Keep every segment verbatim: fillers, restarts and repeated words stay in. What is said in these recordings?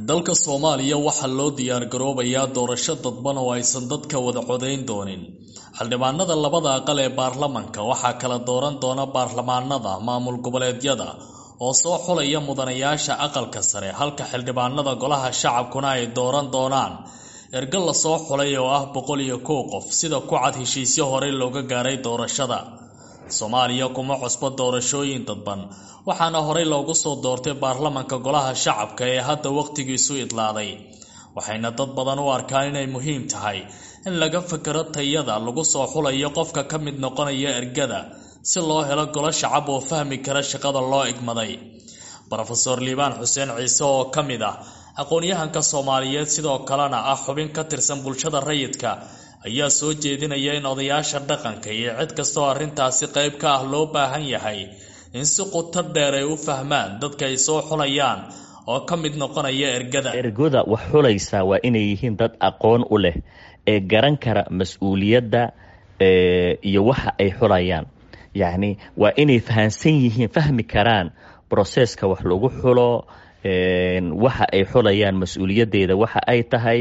Dalka Soomaaliya waxaa loo diyaar garoobayaa doorasho dadban oo aysan dadka wada codayn doonin. Xildhibaanada labada aqal ee baarlamaanka waxaa kala dooran doona baarlamaanada maamul goboleedyada oo soo xulaya mudanayaasha aqalka sare, halka xildhibaanada golaha shacabkuna ay dooran doonaan ergo la soo xulay oo ah boqol iyo kow qof, sida ku cad heshiisyo horey looga gaaray doorashada. Soomaaliya kuma cusbo doorashooyin dadban, waxaana horey loogu soo doortay baarlamaanka golaha shacabka ee hadda waqtigiisu idlaaday. Waxayna dad badan u arkaan inay muhiim tahay in laga fakero tayada lagu soo xulayo qofka ka mid noqonaya ergada si loo helo golo shacab oo fahmi kara shaqada loo igmaday. Brofesor Liibaan Xuseen Ciise oo ka mid ah aqoon-yahanka Soomaaliyeed, sidoo kalena ah xubin ka tirsan bulshada rayidka, ayaa soo jeedinaya in odayaasha dhaqanka iyo cid kastoo arrintaasi qayb ka ah loo baahan yahay in si qoto dheer ay u fahmaan dadka ay soo xulayaan oo ka mid noqonaya ergada. Ergoda wax xulaysaa waa inay yihiin dad aqoon u leh ee garan kara mas-uuliyadda iyo waxa ay xulayaan. Yacni waa inay fahansan yihiin, fahmi karaan broseska wax lagu xulo, waxa ay xulayaan mas-uuliyaddeeda waxa ay tahay,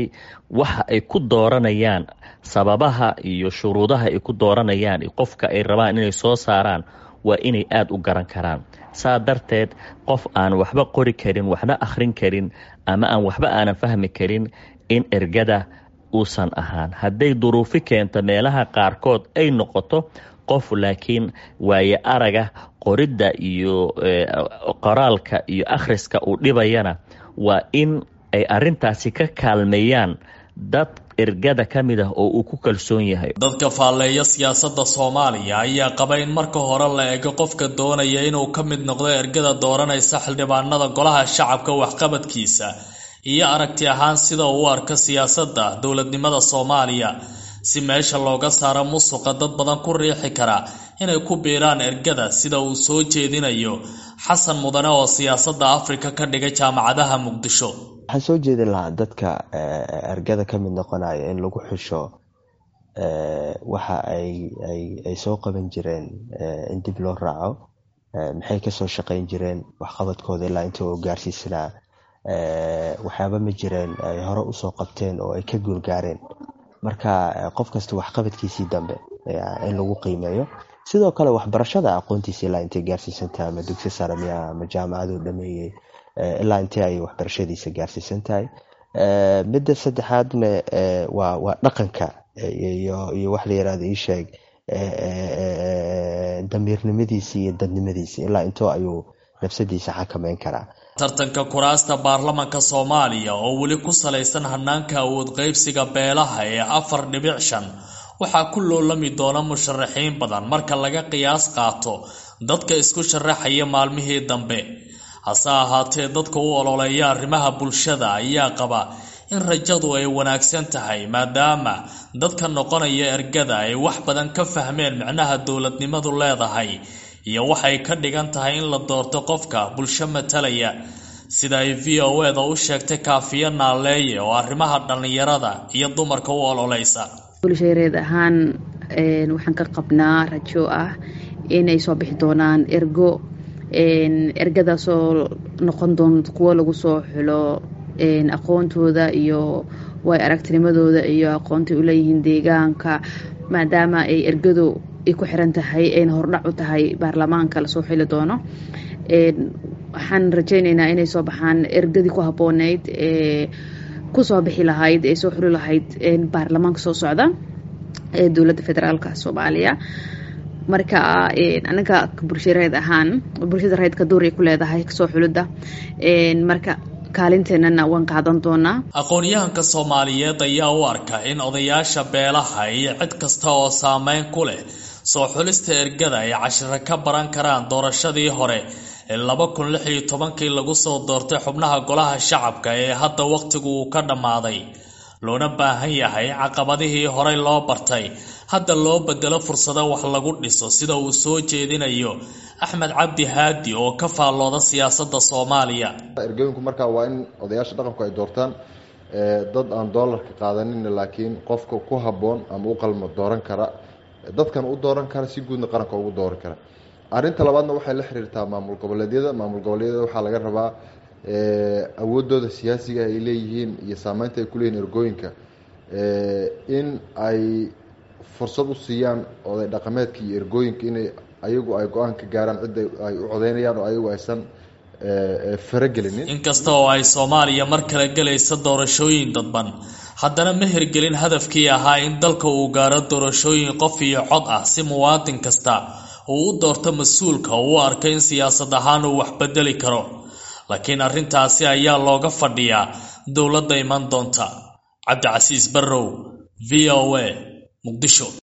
waxa ay ku dooranayaan, sababaha iyo shuruudaha ay ku dooranayaan qofka ay rabaan inay soo saaraan waa inay aada u garan karaan. Saa darteed qof aan waxba qori karin, waxna akhrin karin, ama aan waxba aanan fahmi karin in ergada uusan ahaan. Hadday duruufi keento meelaha qaarkood ay noqoto qof laakiin waaye araga qoridda iyo qoraalka iyo akhriska uu dhibayana, waa in ay arrintaasi ka kaalmeeyaan dad ergada ka mid ah oo uu ku kalsoon yahay. Dadka faalleeya siyaasadda Soomaaliya ayaa qaba in marka hore la eego qofka doonaya inuu ka mid noqdo ergada dooranaysa xildhibaanada golaha shacabka waxqabadkiisa iyo aragti ahaan sida uu u arko siyaasadda dowladnimada Soomaaliya, si meesha looga saaro musuqa dad badan ku riixi kara inay ku biiraan ergada, sida uu soo jeedinayo Xasan Mudane oo siyaasadda Afrika ka dhigay jaamacadaha Muqdisho. Waxaan soo jeedin lahaa dadka ergada ka mid noqonaya in lagu xusho waxa ay ay soo qaban jireen, in dib loo raaco maxay kasoo shaqayn jireen, waxqabadkooda ilaa inta oo gaarsiisanaa, waxyaaba ma jireen ay hore usoo qabteen oo ay ka guulgaareen. Marka qof kasta waxqabadkiisii dambe in lagu qiimeeyo. Sidoo kale waxbarashada aqoontiisa ilaa intay gaarsiisan tahay, ama dugsi sare miya ama jaamacaduu dhameeyey, ilaa intee ay waxbarashadiisa gaarsiisan tahay. Midda saddexaadna waa waa dhaqanka iyo iyo wax la yirahdo iisheeg damiirnimadiisi iyo dadnimadiisi, ilaa intoo ayuu nafsadiisa xakameyn karaa. Tartanka kuraasta baarlamaanka Soomaaliya oo weli ku salaysan hanaanka awood qaybsiga beelaha ee afar dhibic shan waxaa ku loolami doona musharaxiin badan marka laga qiyaas qaato dadka isku sharaxaya maalmihii dambe. Hase ahaatee dadka u ololeeya arrimaha bulshada ayaa qaba in rajadu ay wanaagsan tahay, maadaama dadka noqonaya ergada ay wax badan ka fahmeen micnaha dowladnimadu leedahay iyo waxay ka dhigan tahay in la doorto qofka bulsho matalaya, sida ay V O E da u sheegtay Kaafiya Naaleeye oo arrimaha dhallinyarada iyo dumarka u ololeysa. Bulshareed ahaan waxaan ka qabnaa rajo ah inay soo bixi doonaan ergo, ergadaasoo noqon doonto kuwo lagu soo xulo aqoontooda iyo way aragtinimadooda iyo aqoonta u leeyihiin deegaanka, maadaama ay ergadu ay ku xiran tahay ayna hordhac u tahay baarlamaanka lasoo xili doono. Waxaan rajaynaynaa inay soo baxaan ergadii ku habbooneyd ee kusoo bixi lahayd ee soo xuli lahayd baarlamaanka soo socda ee dowladda federaalka Soomaaliya. Marka anaga bulshareed ahaan bulshada rayidka door ay ku leedahay kasoo xulidda, marka kaalinteenana waan qaadan doonaa. Aqoon-yahanka Soomaaliyeed ayaa u arka in odayaasha beelaha iyo cid kasta oo saameyn ku leh soo xulista ergada ay cashiro ka baran karaan doorashadii hore ee laba kun lix iyo tobankii lagu soo doortay xubnaha golaha shacabka ee hadda waqtigu uu ka dhammaaday, loona baahan yahay caqabadihii horey loo bartay hadda loo bedelo fursado wax lagu dhiso, sida uu soo jeedinayo Axmed Cabdi Haadi oo ka faallooda siyaasadda Soomaaliya. Ergooyinku markaa waa in odayaasha dhaqanku ay doortaan dad aan doolarka qaadanin, laakiin qofka ku habboon ama u qalmo dooran kara, dadkan u dooran kara, si guudna qaranka ugu dooran kara. Arrinta labaadna waxay la xiriirtaa maamul goboleedyada. Maamul goboleedyada waxaa laga rabaa Awooddooda siyaasiga ay leeyihiin iyo saameynta ay kuleeyihin ergooyinka, in ay fursad u siiyaan oday dhaqameedka iyo ergooyinka inay ayagu ay go-aan ka gaaraan cidda ay u codeynayaan oo ayagu aysan faragelinin. Inkasta oo ay Soomaaliya mar kale gelaysa doorashooyin dadban, haddana ma hirgelin hadafkii ahaa in dalka uu gaaro doorashooyin qof iyo cod ah, si muwaadin kasta uu u doorto mas-uulka uu u arko in siyaasad ahaan uu wax bedeli karo. Laakiin arrintaasi ayaa looga fadhiyaa dowladda iman doonta. Cabdicasiis Barrow, V O A, Muqdisho.